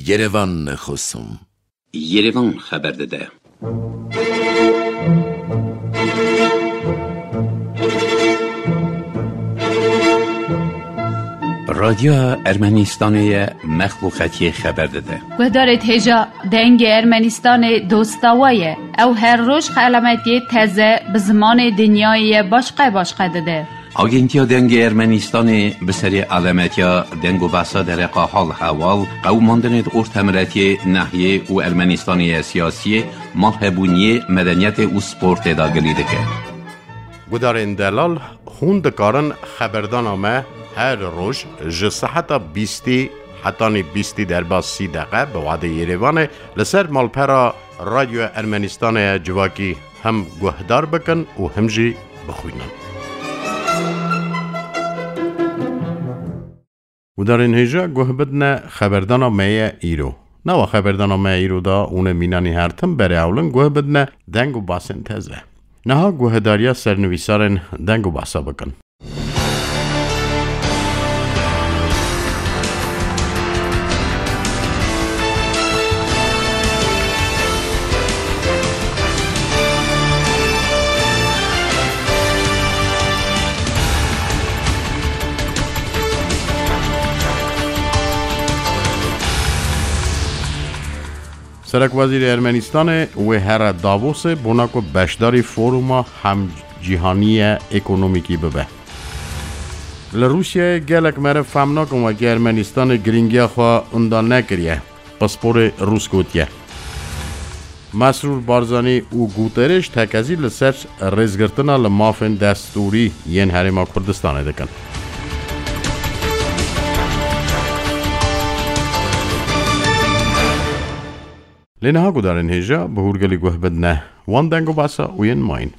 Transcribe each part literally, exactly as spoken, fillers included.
Yerevan nexwesim. Yerevan xeber dide. Radyoya Ermenistanê ye, mexluqetiyê xeber dide. Guhdarê hêja Dengê Ermenistanê dosta we ye. Ew her roj xelametiyê teze bi zimanê dinyayê ye başqe başqe dide. Agentiya Dengê Ermenistanê bi serê alemetiya deng û behsa dereqa hal hewal, qewimandinê di ortemiletiyê, nehiyê û Ermenistanê ya siyasiyê, malhebûniyê, medeniyetê û sportê de gilî dike. Gudarên delal, hûn dikarin xeberdana me her roj ji seheta bîstî hetanî bîstî derbas sî deqe bi wadê Yerevanê li ser malpera Radyoya Ermenistanê ya civakî hem guhdar bikin û hem jî bixwînin. Gudarên hêja guh bidine xeberdana me ye îro. Nava xeberdana me îro da ûne mînanî her tim berê ewlin guh bidine deng û basên teze. Niha guhedariya sernivîsarên deng û basa bikin. Serekwezîrê Ermenistanê wê here Davosê bona ku beşdarî foruma hemcîhanî ye ekonomîkî bibe. Li Rûsyayê gelek meriv fehm nakin wekî Ermenistanê girîngiya xwe unda nekiriye, pisporê Rûs gotiye. Mesrûr Barzanî û Guterres tekezî li ser rêzgirtina li mafên destûrî yên Herêma Kurdistanê dikin. Lê niha gudarên hêja bi hûrgilî guh bidine wan deng û basa û yên mayîn.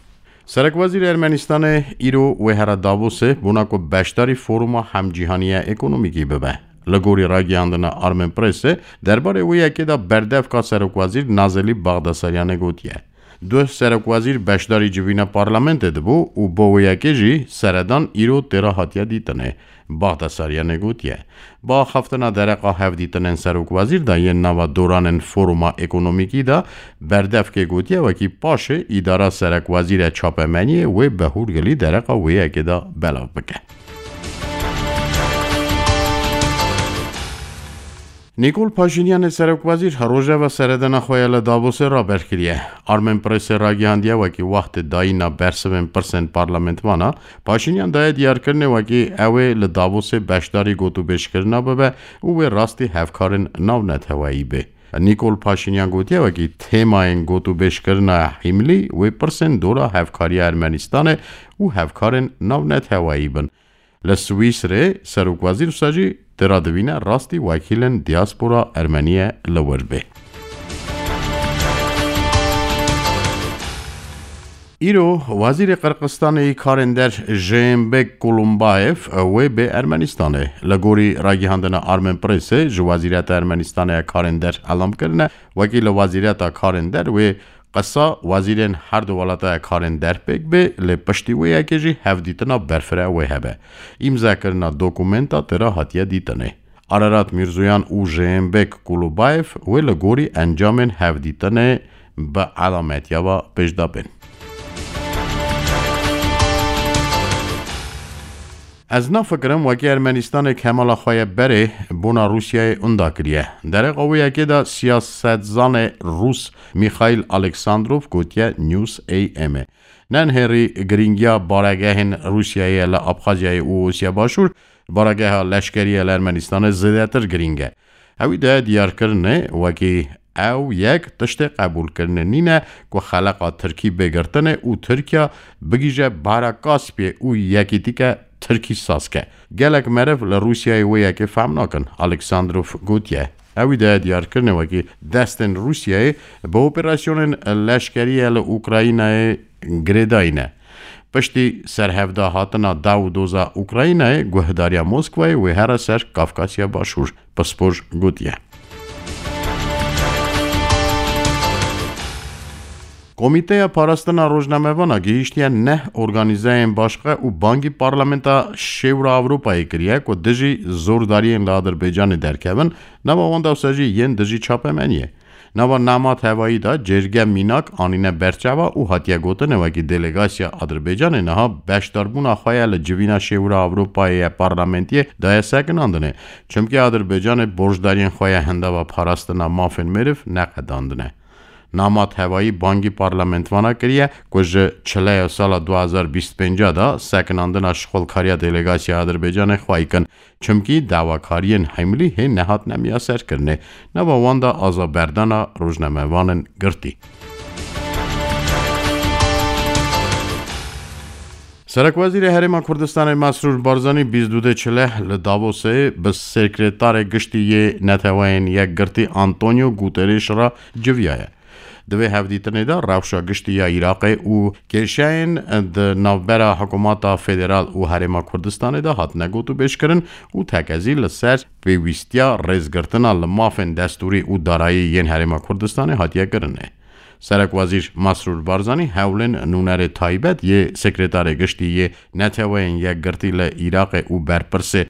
Serekwezîrê Ermenistanê îro wê here Davosê bona ku beşdarî foruma hemcîhanî ya ekonomîkî bibe. Li gorî ragihandina Armen Pressê, derbarê wê yekê de berdevka serokwezîr Nazelî Baxdasaryanê gotiye. Duh serokwezîr beşdarî civîna parlamentê dibû û bo wê yekê jî seredan îro têra hatiye dîtinê. Baxdasaryanê gotiye, bi axaftina dereqa hevdîtinên serokwezîr de yên nava doranên foruma ekonomîkî de berdevkê gotiye wekî paşê îdara serekwezîre çapemeniyê wê bi hûrgilî dereqa wê yekê de belav bike. Nîkol Paşînyanê serokwezîr rojeva seredana xwe ya li Davosê raber kiriye. Armen Pressê ragihandiye wekî wextê dayîna bersivên pirsên parlamentmana, Paşînyan daye diyarkirinê wekî ew ê li Davosê beşdarî gotûbêjkirina bibe û wê rastî hevkarên navneteweyî bê. Nîkol Paşînyan gotiye wekî têmayên gotûbêjkirina hîmlî wê pirsên dora hevkariya Ermenistanê û hevkarên navneteweyî bin. Li Swîsrê serokwezîr wisa jî tê radivîne rastî wekîlên diaspora ermeniyê li wir bê. Îro Wezîrê Qirqistanê yî Karên Der Jêmbek Kulumbayev wê bê Ermenistanê. Li gorî ragihandina Armen Pressê ji Wezîreta Ermenistanê ya Karên Der elam kirine, wekî li Wezîreta Karên Der wê qisa wezîrên her du welata ya karên der pêk bê, lê piştî wê yekê jî hevdîtina berfireh wê hebe. Îmzekirina dokumenta tira hatiye dîtinê. Ararat Mîrzoyan û Jêmbek Kulubayev wê li gorî encamên hevdîtinê bi elametiya ve pêşda bên. Ez nafikirim wekî Ermenistanê kemala xwe ye berê bona Rûsyayê unda kiriye. Dereqa wê yekê de siyasetzanê Rûs Mîxaîl Aleksandrov gotiye News A M ê. Nenhêrî girîngiya baregehên Rûsyayê li Abxazyayê û Osya Başûr, baregeha leşkerî ya li Ermenistanê zêdetir girîng e. Ewî daye diyarkirinê wekî ew yek tiştê qebûlkirinê nîne ku xeleqa Tirkî bê girtinê û Tirkiya bigihîje Bahra Kaspiyê û yekîtîke Tirkî saz ke. Gelek meriv li Rûsyayê wê yekê fehm nakin, Aleksandrov gotiye. Ewî daye diyarkirinê wekî destên Rûsyayê bi operasyonên leşkerî ya li Ukraynayê girêdayî ne. Piştî serhevda hatina daw û doza Ukraynayê, guhdariya Moskwayê wê here ser Kafkasya Başûr, pispor gotiye. Komîteya Parastina Rojnamevana gihîştiye neh organîzeyên başqe û bangî Parlamenta Şêwra Ewropayê kiriye ku dijî zordariyên li Adirbaycanê derkevin, nava wan dewsa jî yên dijî çapemeniyê. Nava Nemat Hevayî de cêrge mînak anîne berçava û hatiye gotin, wekî delegasiya Adirbaycanê niha beşdarbûna xwe ye li civîna Şêwra Ewropayê ye parlamentiyê daye sekinandinê, çimkî Adirbaycanê borcdariyên xwe ye hindava parastina mafên meriv neqedandine. Nemat Hevayî bangî parlamentvana kiriye ku ji çileya sala du hezar bîst pênc de sekinandina şixulkariya delegasiya Adirbaycanê xwayî kin, çimkî dawakariyên hemlî hê nehatine miyaserkirinê, nava wan de azaberdana rojnamevanên girtî. Serekwezîrê Herêma Kurdistanê Mesrûr Barzanî bîst û du çile li Davosê bi Sekretarê Giştî yê Neteweyên Yekgirtî Antonio Guterres re civiyaye. Di vê hevdîtinê de rewşa giştî ya Iraqê û kêşeyên di navbera hikûmeta federal û Herêma Kurdistanê de hatine gotûbêjkirin û tekezî li ser pêwîstiya rêzgirtina li mafên destûrî û darayî yên Herêma Kurdistanê hatiye kirinê. Serekwezîr Mesrûr Barzanî hewlên nûnerê taybet yê Sekretarê Giştî yê Neteweyên Yekgirtî li Iraqê û berpirsê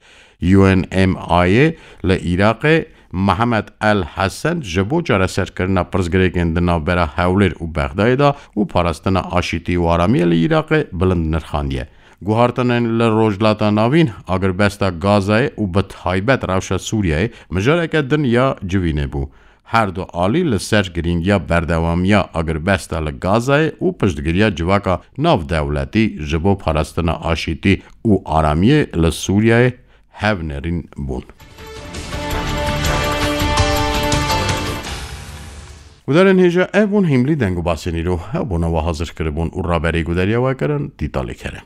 U N M I li Iraqê Mihemed El Hesen ji bo çareserkirina pirsgirêkên di navbera Hewlêr û Bexdayê de û parastina aşîtî û aramiyê li Iraqê bilind nirxandiye. Guhartinên li Rojhilata Navîn, agirbesta Gazayê û bi taybet rewşa Sûriyeyê mijareke din ya civînê bû. Her du alî li ser girîngiya berdewamiya agirbesta li Gazayê û piştgiriya civaka navdewletî ji bo parastina aşîtî û aramiyê li Sûriyeyê hevnerîn bûn. Guhdarên hêja, ev bûn hîmlî deng û basên îro. Ew bona we hazir kiribûn û raberî gudariya we kirin Dîtalê Kerem.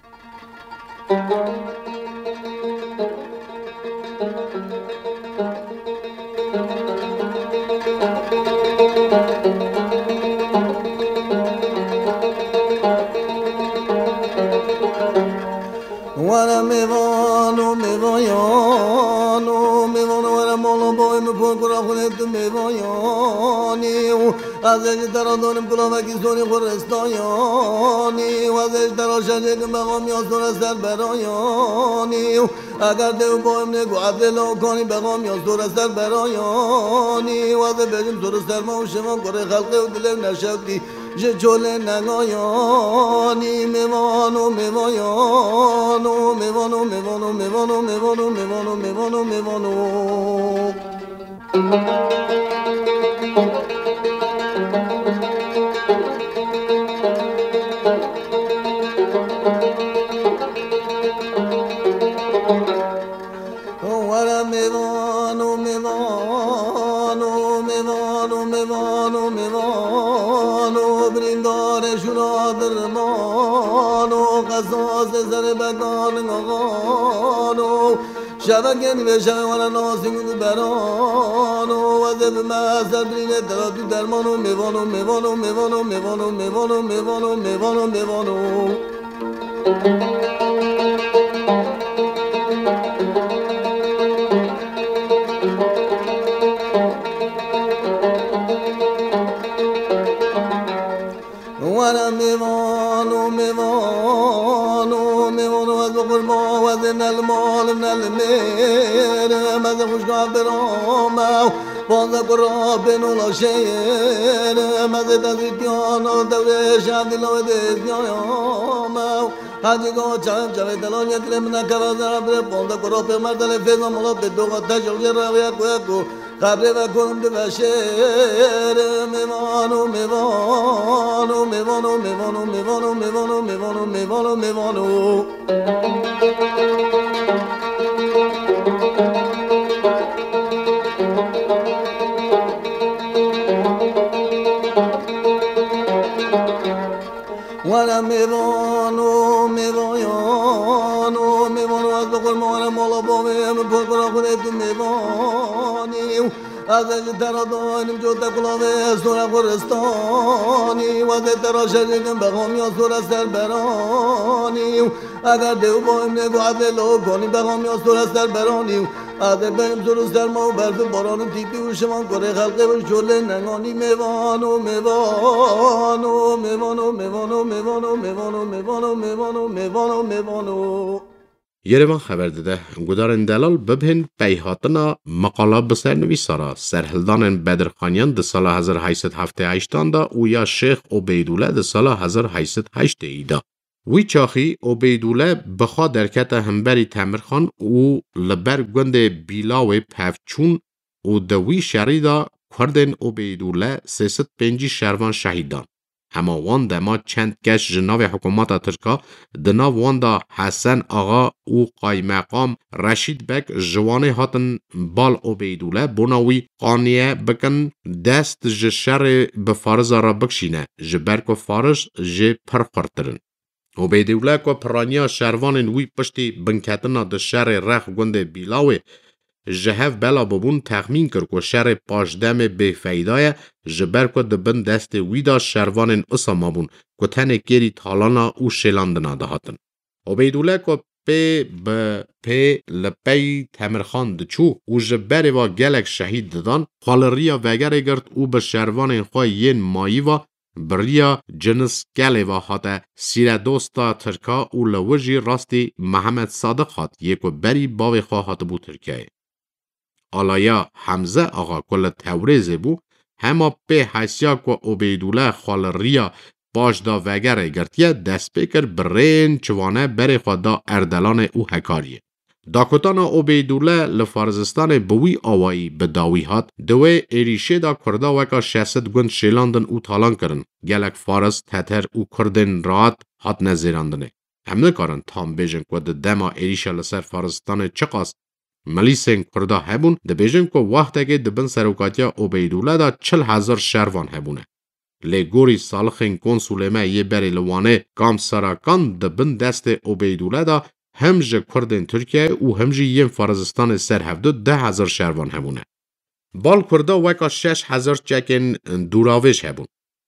Were mêvan û mêvayan û mêvan, were mala bayê min, pokura xwe tu mêvayanî û ez ê ji te re danim kulavekî sonî xwe ristayanî û ez ê ji te re şencêkim bexamiya sore ser berayanî û eger dê û bayê min ê ku efrê law kanî bexamiya sore ser berayanî û ez ê bêjim sore serma û şevan kurê xelqê û dilê û neşewtî. Ji çolê negayanî mêvan û mêvayan û mêvan û mêvan û mêvan û mêvan û mêvan û mêvan û mêvan û. Were mêvan û mêvan û mêvan û mêvan û mêvan û birîndarê şûna dirman û qesasê serê bekan û şevekên vê şevê were nasî û beran û wezê bi me ser birînê te re tu derman û mêvan û mêvan û mêvan û mêvan û mêvan û mêvan û mêvan û mêvan û. Were mêvan û mêvan û mêvan û ez bi qurban we zê ne li mal im ne li mêr im, ez ê xwişka bira me û panzdeh kura bên û laşêr im, ez ê dezîtiyan û dewrê şandî lawê dêzgaya me û Hacî go çavê çavê delal yetirê min nekeve zera birê ponde kuro pê merdelê fêza molo pê doga te jewjê reviye kuye ku xebrê ve kurim di veşêr mêvan û mêvan û mêvan û mêvan û mêvan û mêvan û mêvan û mêvan û mêvan û. Were mêvan û mêvayan û mêvan û ez bi qurmana mala bavê min, pir pira xwedê tu mêvanî û Ez ê ji te re donim cote kulavê sora xuristanî, wezê te re şerîkim bexamiya sora serberanî. Eger dê û bayim nê guhedê lokanî bexamiya sora serberanî. Ez ê beyim sor û serma û berf û baran û tîpî û şivan kurê xelqê û şolê nenganî mêvan û mêvan û mêvan û mêvan û mêvan û mêvan û mêvan û mêvan û mêvan û mêvan û mêvan û. Yerevan xeber dide, gudarên delal bibhên peyhatina meqala bi sernivîsa re, serhildanên Bedirxaniyan di sala hezar heyt sed heftê heştan de û ya Şêx Obeydûle di sala hezar heyt sed heştê da. Wî çaxî Obeydûle bi xwe derkete hemberî Temirxan û li ber gundê Bîlawê pevçûn û di wî şerî de Kurdên Obeydûle sê sed pêncî şervan şehîd dan. Hema wan dema çend kes ji navê hikûmeta Tirka, di nav wan de Hesen Axa û Qaymeqam Reşîd Beg ji Wanê hatin bal Obeydûle, bona wî qaniye bikin dest ji şerê bi Fariza re bikişîne, ji ber ku Fariz jê pir xurtir in. Obeydûle ku piraniya şervanên wî piştî binketina di şerê rex gundê Bîlawê ji hev bela bûbûn, texmîn kir ku şerê paşdemê bêfeyda ye, ji ber ku di bin destê wî de şervanên usa mabûn ku tenê kêrî talana û şêlandina dihatin. Obeydûle ku pê bi pê li pey Temirxan diçû û ji berê ve gelek şehîd didan, xwe li riya vegerê girt û bi şervanên xwe yên mayî ve bi riya Cinis Kelê ve hate sîredosta Tirka û li wir jî rastî Mihemed Sadiq hat, yê ku berî bavê xwe hatibû Tirkiyeyê. Alaya Hemze Axa ku li Tewrêzê bû, hema pê hesiya ku Obeydûle xwe li riya paş da vegerê girtiye, dest pê kir bi rêyên çivane berê xwe da Erdelanê û Hekariyê. Dakotana Obeydûle li Farizistanê bi wî awayî bi dawî hat, di wê êrîşê de Kurda weka şeş sed gund şêlandin û talan kirin. Gelek Faris, Teter û Kurdên rahat hatine zêrandinê. Em nikarin tam bêjin ku di dema êrîşa li ser Farizistanê çiqas milîsên Kurda hebûn, dibêjin ku wextekê di bin serokatiya Obeydûle de çil hezar şervan hebûne. Lê gorî salixên konsulê me yê berê li Wanê Kam Sarakan di bin destê Obeydûle de him ji Kurdên Tirkiyeyê û him jî yên Farizistanê ser hevdu deh hezar şervan hebûne. Bal Kurda weka şeş hezar çekên dûravêj hebûn.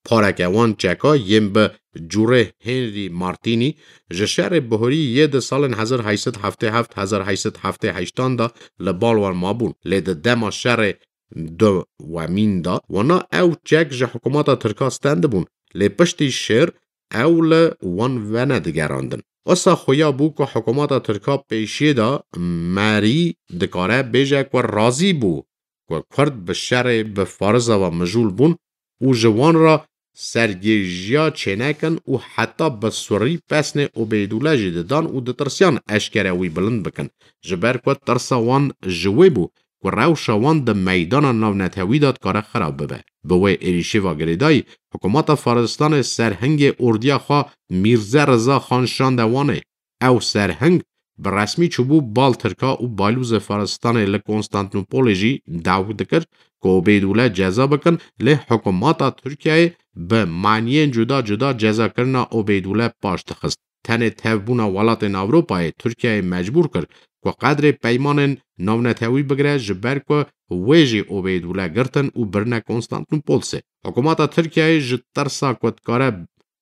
Pareke wan çeka yên bi cûrê Henry Martini ji şerê bihurî yê di salên hezar heyt sed heftê heft, hezar heyt sed heftê heştan de li bal wan mabûn, lê di dema şerê dewemîn de wana ew çek ji hikûmeta Tirka stendibûn, lê piştî şer ew li wan venedigerandin. Wisa xuya bû ku hikûmeta Tirka pêşiyê de merî dikare bêje ku razî bû ku Kurd bi şerê bi Fariza ve mijûl bûn û ji wan re sergêjiya çênekin û heta bi surî pesnê Obeydûle jî didan û ditirsiyan eşkere wî bilind bikin, ji ber ku tirsa wan ji wê bû ku rewşa wan di meydana navnetewî de dikare xirab bibe. Bi wê êrîşê ve girêdayî, hikûmeta Farizistanê serhingê ordiya xwe Mîrze Riza Xan şande Wanê. Ew serhing bi resmî çûbû bal Tirka û balûzê Farizistanê li Konstantînopolê jî dawî dikir ku Obeydûle ceza bikin, lê hikûmeta Tirkiyeyê bi maniyên cuda cuda cezakirina Obeydûle paş dixist. Tenê tevbûna welatên Ewropayê Tirkiyeyê mecbûr kir ku qedrê peymanên navnetewî bigire, ji ber ku wê jî Obeydûle girtin û birine Konstantînopolsê. Hikûmeta Tirkiyeyê ji tirsa ku dikare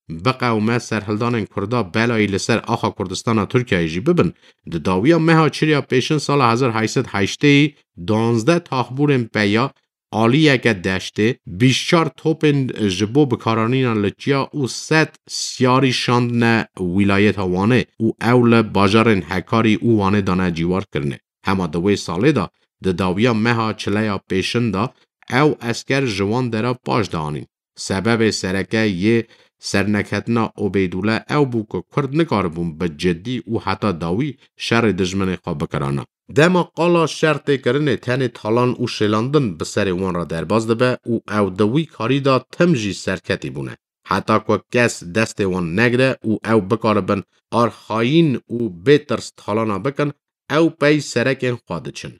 biqewime serhildanên Kurda belayî li ser axa Kurdistana Tirkiyeyê jî bibin, di dawiya meha Çirya Pêşin sala hezar heyt sed heştê danzdeh taxbûrên peya aliyeke deştê, bîst çar topên ji bo bikaranîna li çiya û sed siyarî şandine wîlayeta Wanê û ew li bajarên Hekarî û Wanê dane cîwarkirinê. Hema di wê salê de, di dawiya meha Çileya Pêşin de ew esker ji wan dera paş de anîn. Sebebê sereke yê serneketina Obeydûle ew bû ku Kurd nikaribûn bi cidî û heta dawî şerê dijminê xwe bikirana. Dema qala şer tê kirinê tenê talan û şêlandin bi serê wan re derbas dibe û ew di wî karî de tim jî serketî bûne. Heta ku kes destê wan negire û ew bikaribin arxayîn û bê tirs talana bikin, ew pey serekên xwe diçin.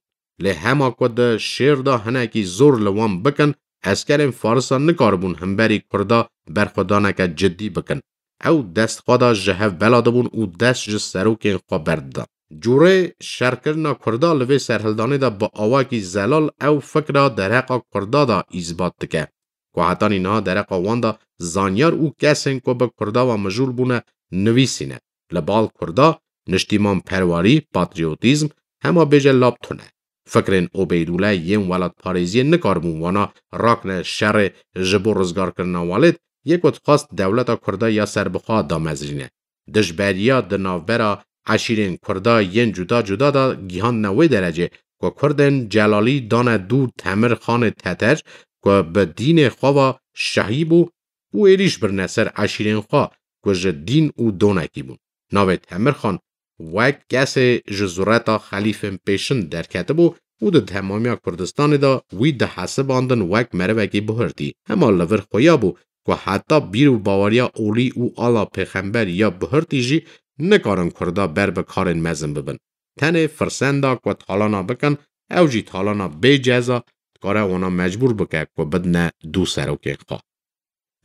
Lê hema ku di şêr de hinekî zor li wan bikin, eskerên Farisa nikaribûn himberî Kurda berxwedaneke cidî bikin. Ew dest xwe de ji hev bela dibûn û dest ji serokên xwe berdidan. Cûrê şerkirina Kurda li vê serhildanê de bi awakî zelal ew fikra dereqa Kurda de îsbat dike, ku hetanî niha dereqa wan de zanyar û kesên ku bi Kurda ve mijûl bûne nivîsîne. Li bal Kurda niştîmanperwerî, patriyotîzm, hema bêje lab tune. Fikrên Obeydûle yên welatparêziyê nikaribûn wana rakne şerê ji bo rizgarkirina welêt, yê ku dixwest dewleta Kurda ya serbixwe damezrîne. Dijberiya di navbera eşîrên Kurda yên cuda cuda de gihandine wê derecê ku Kurdên Celalî dane dû Temir Xanê Teter ku bi dînê xwe ve şehî bû û êrîş birine ser eşîrên xwe ku ji dîn û donekî bûn. Navê Temir Xan wek kesê ji zureta xelîfên pêşin derketibû û di temamiya Kurdistanê de wî dihesibandin wek merivekî buhirtî. Hema li vir xuya bû ku heta bîr û baweriya olî û ala pêxember ya buhirtî jî nikarin Kurda ber bi karên mezin bibin. Tenê firsenda ku talana bikin, ew jî talana bê ceza, dikare wana mecbûr bike ku bidine dû serokên xwe.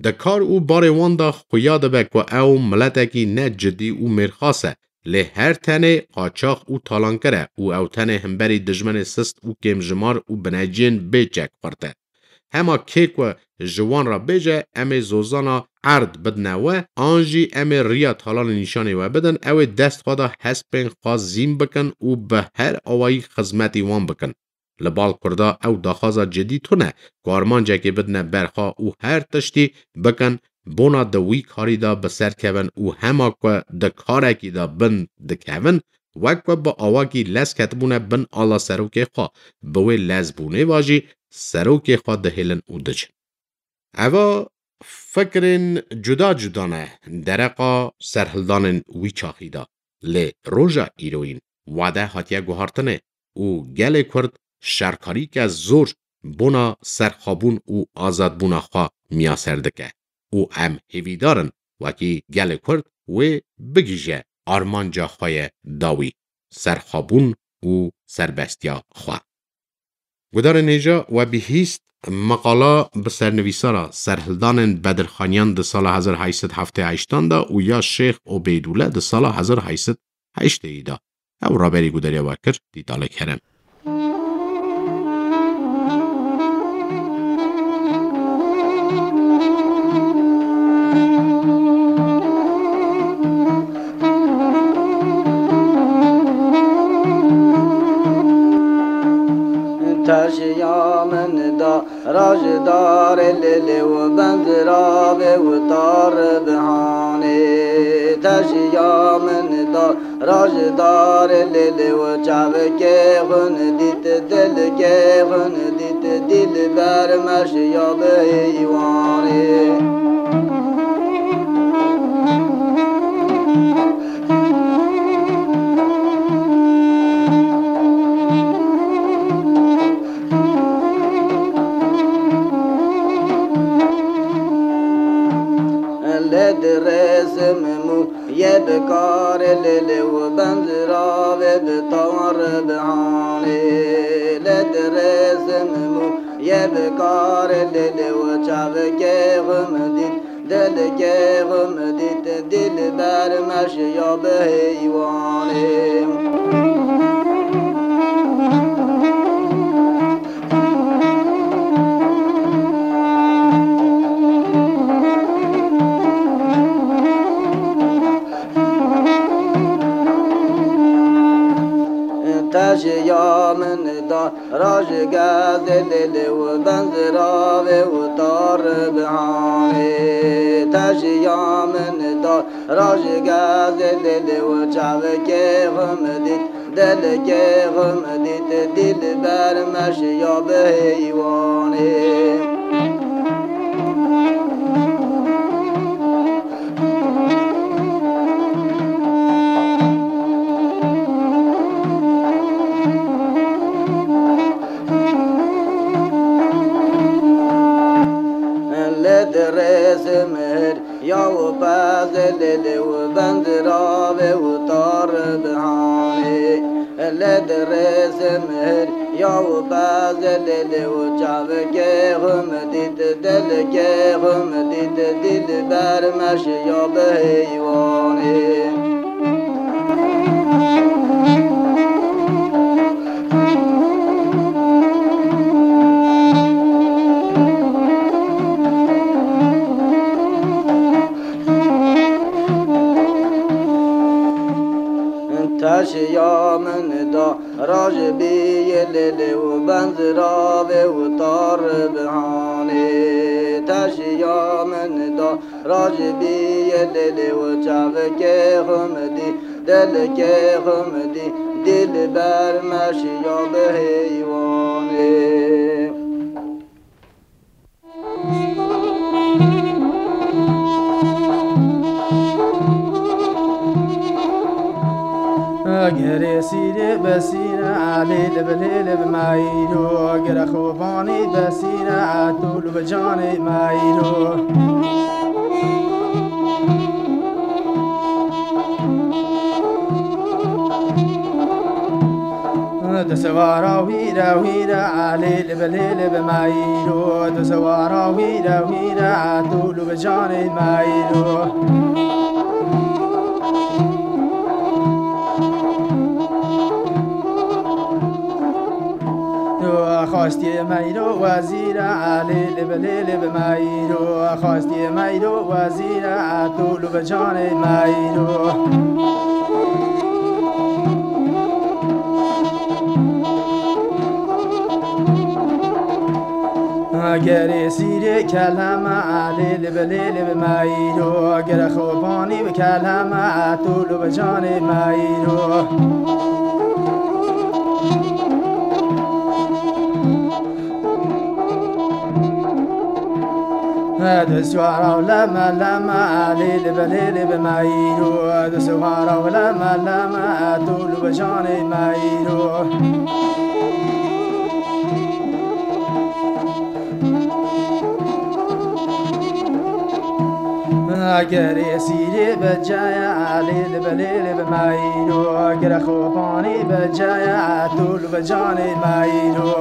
Di kar û barê wan de xuya dibe ku ew miletekî ne cidî û mêrxas e, lê her tenê qaçax û talankir e û ew tenê himberî dijmenê sist û kêmjimar û bineciyên bê çek xurt e. Hema kê ku ji wan re bêje, em ê zozana erd bidine we, an jî em ê riya talanê nîşanê we bidin, ew ê dest xwe de hespên xwe zîn bikin û bi her awayî xizmetî wan bikin. Li bal Kurda ew daxwaza cidî tune ku armancekê bidine ber xwe û her tiştî bikin bona di wî karî de bi ser kevin û hema ku di karekî de bin dikevin, wek ku bi awakî lez ketibûne bin ala serokê xwe, bi wê lezbûnê ve jî serokê xwe dihêlin û dicin. Eva fikrên cuda cuda ne dereqa serhildanên wî çaxî de. Lê roja îroyîn wade hatiye guhartinê û gelê Kurd şerkarîke zor bona serxwebûn û azadbûna xwe miyaser dike û em hêvîdar in wekî gelê Kurd wê bigihîje armanca xwe ye dawî, serxwebûn û serbestiya xwe. Gudarên hêja, we bihîst meqala bi sernivîsara serhildanên Bedirxaniyan di sala hezar heşt sed heftê heştan de û ya Şêx Obeydûle di sala hezar heşt sed heştê de. Ew raberî gudariya we kir, Dîtalê Kerem. Teşiya min da rajdarê lêlê û benziravê û tar bihanê. Teşiya min da rajdarê lêlê û çavkê xun dît, dilkê xun dît, dilber meşiya bi heywanê. Lê dirêsim mû yê bi karê lêlê û benziravê bi tar bihanê. Lê dirêsim mû yê bi karê lêlê û çavkê xwe min dît, dilkê xwe min dît, dilber meşiya bi heywanê. Teşiya min da rajgezê lêlê û benziravê û tar bihanê. Teşiya min da rajgezê lêlê û çavkê xwe min dît, dilkê xwe min dît, dilber meşiya bi heywanê. Lê dirêsim hir ya û pezê lêlê û benziravê û tar bihanê. Lê dirêsim hir ya û pezê lêlê û çavkê xwe min dît, dilkê xwe min dît, dilber meşiya bi heywanê. Şiya min da rajbî yê lêlê û benziravê û tar bihanê. Te şiya min da rajbî yê lêlê û çavikê xwe min dî, dilkê xwe min dî, dilber me şiya bi heywanê. Gerê sîrê be sîre, lê li bi lê li bi mayîro. Gere xwe banî be sîre, tu li bi canê mayîro. Di sivara wî re wî re, lê li bi lê li bi mayîro. Di sivara wî re wî re, tu li bi canê mayîro. Xwestiye meyro wezîre, lê li bi lê li bi mayîro. Xwestiye meyro wezîre, tu li bi canê mayîro. Gerê sîrê keleme, lê li bi lê li bi mayîro. Gere xwe banî bi keleme, tu li bi canê mayîro. Di swara û leme leme, lê li bi lê li bi mayîro. Di swara û leme leme, tu li bi canê mayîro. Gerê sîrê bi caya, lê li bi lê li bi mayîro. Gere xwe banî bi caya, tu li bi canê mayîro.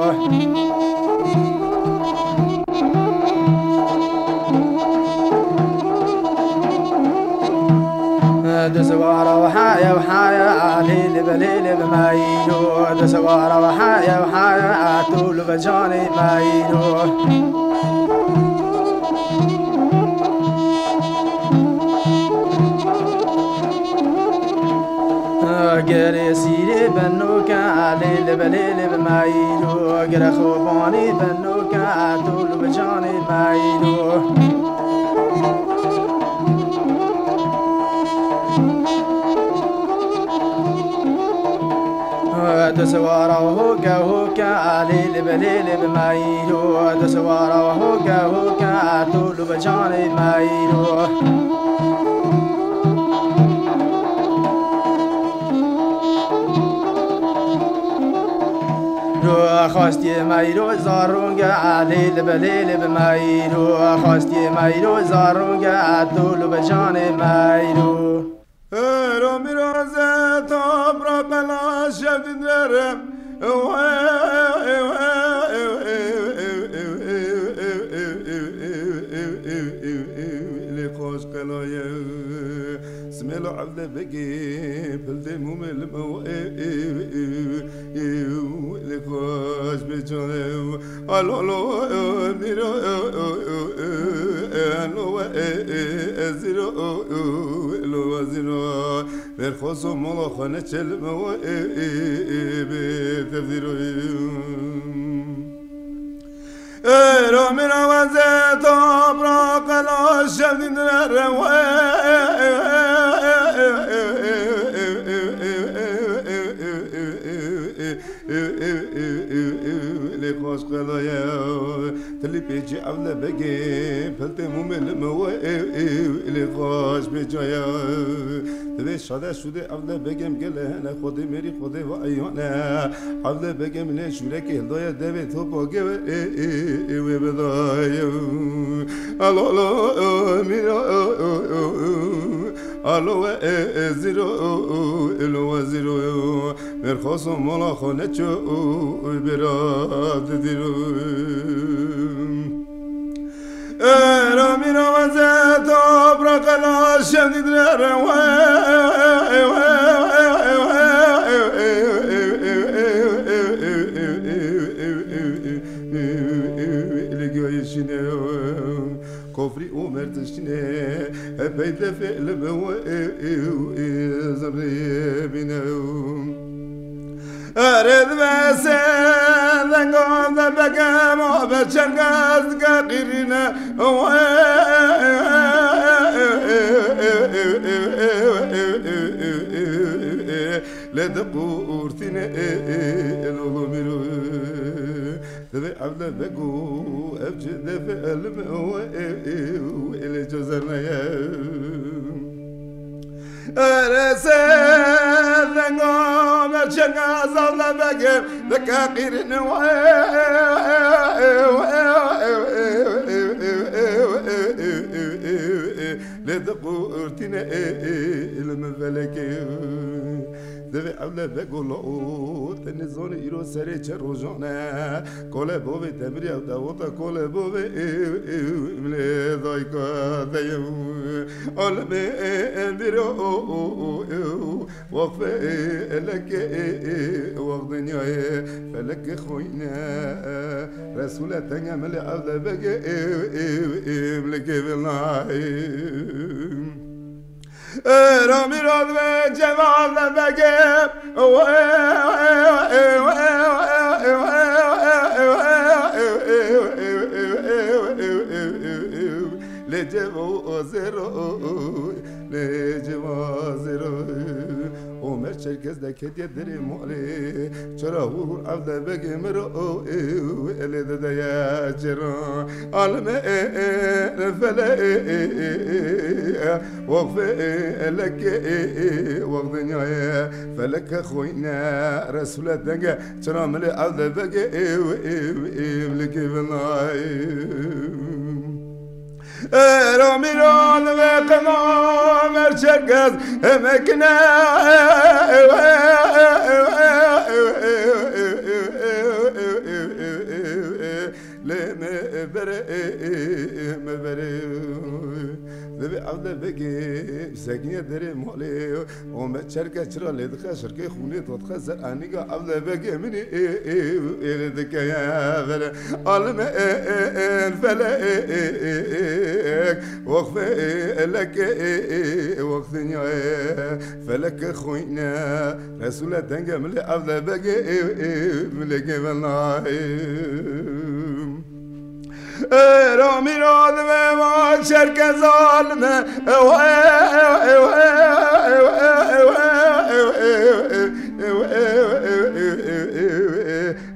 Di swara û haya û haya, lê li bi lê li bi mayîro. Di swara û haya û haya, tu li bi canê mayîro. Gerê sîrê benoke, lê li bi lê li bi mayîro. Gere xwe banî benoke, tu li bi canê mayîro. Di swara hoke hoke, lê li bi lê li bi mayîro. Di swara hoke hoke, tu li bi canê mayîro. Ro xwestiye mayîro zarûnge, lê li bi lê li bi mayîro. Xwestiye mayîro zarûnge, tu li bi canê mayîro. Ero mîroze topra bela şevdînere. Lê xweş qelaye. Simêlo evle begê, pildê mûmê li me we, lê xweş bê çare. Alo, alo, mîro, alo, we, zîro, lo, we, zîro. Ver xweş û mola xwe neçe li me we, bê tevdîro. Ero mîra weze topra qela şevdîn re we. Lê xweş qelaye. Tilî pêçî evle begê, piltê mûmê li me we. Lê xweş bê caya. Divê şade şûdê evle begem gele hene, xwedê mêrî xwedê ve eyane. Evle begem lê şûrekê hildoye devê topa geve, ê, ê, ê, wê bidaye. Alo, alo, mîro, alo, we, ê, ê, zîro, ê, lo, we, zîro. Mêrxas û mala xwe neço, bêra didîro. Ero mîra weze topra qela şevdî dire re we. Li gayê şîne kofrî û mertişîne hepey defê li bi we zerrê bîne. Erê divê sê dengan de bekem, o be çergez dike qîrîne. Lê diqûrtîne, lolo mîro. Divê evle vego, ev çi defe elim, o, e, e, e, lê cozerneye. Erê sê denga me çenga zalde bege, dike qîrîne we. Lê diqûrtîne, e, e, li min felekê. Divê evle vego lo, te nizanî îro serê çe rojan e. Kole bovê Demirê ew dewota kole bovê, ew, ew, lê dayka deyim. Alimê, e, e, biro, o, o, o, ew. Waqfê, e, e, leke, e, e, waq dinyayê, feleke xoyne, e, Resûle tenge milê evle vege, ew, ew, ew, leke vilnayê. Ramî radve ceval de vege. Lê cevo zero, lê cevo zero. Omer Çerkez de kediye derê malê. Çira hûr hûr evde begê miro, elê dideye cira. Alime, e, e, fele, e, e, e, e, waqfe, e, e, leke, e, e, waq dinyayê, feleke xoyne, Resûle denge, çira milê evde begê, ew, ew, ew, leke vinayê. Ramîran ve qema merçergez emekine. Lê me bere, me bere. Divê evde begê sekiniye derê malê. Ome çerke çira lê dixe şirkê xûnê to dixe ser anîga evde begê minî, ê, ê, ê, lê dikeye vere. Alime, e, e, e, fele, e, e, e, e, waqfe, e, e, leke, e, e, e, waq dinyayê, feleke xoyne, Resûle denge milê evde begê, e, e, milê gevena, e. Ramî radve ma çerke zalime.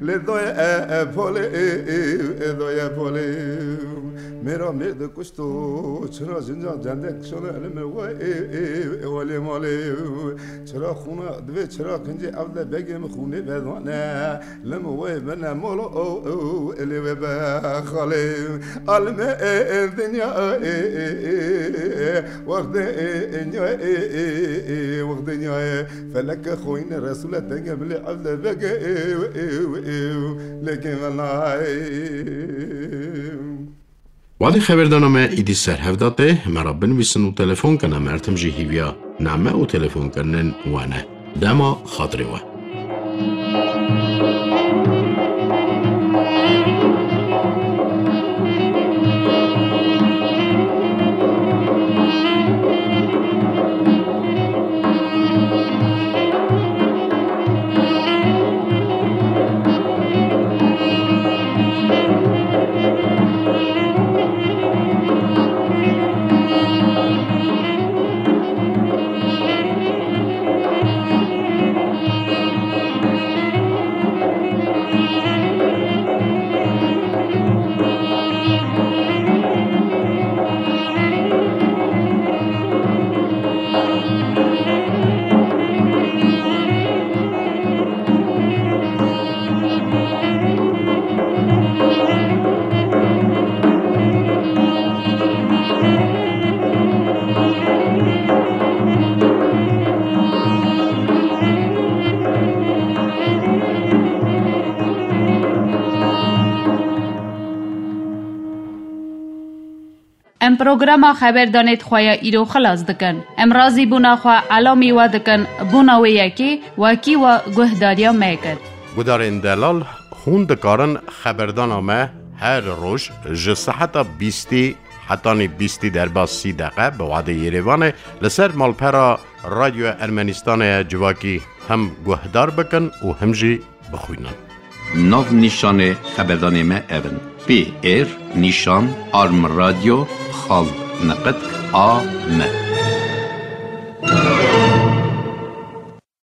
Lê doye, e, e, polê, e, e, e, doye polê. Mêra mêr de kuşto, çira jincan cendek kişane elime we, e, e, e, welê malê. Çira xûna divê çira kincê evde begê min xûnê vedane. Lim wê bine molo, o, o, elê wê be xalê. Alime, e, e, dinya, e, e, e, e, wextê, e, e, nya, e, e, e, wext dinya, e, feleke xoyne Resûle denge milê evde vege, e, e, e, leke venay. Wadî xeberdana me îdî ser hev de tê, me re binivîsin û telefon kin, em her tim jî hîviya name û telefonkirinên we ne. Dema xatirê we. Em programa xeberdanê di xwe ya îro xilas dikin. Em razîbûna xwe elamî we dikin, bona wê yekê wekî we guhdariya me kir. Gudarên delal, hûn dikarin xeberdana me her roj ji seheta bîstî hetanî bîstî derbas sî deqe bi wadê Yerêvanê li ser malpera Radyoya Ermenistanê ya civakî hem guhdar bikin û hem jî bixwînin. Nav nîşanê xeberdanê me ev in: P R nîşan arm radio xal neqet a m.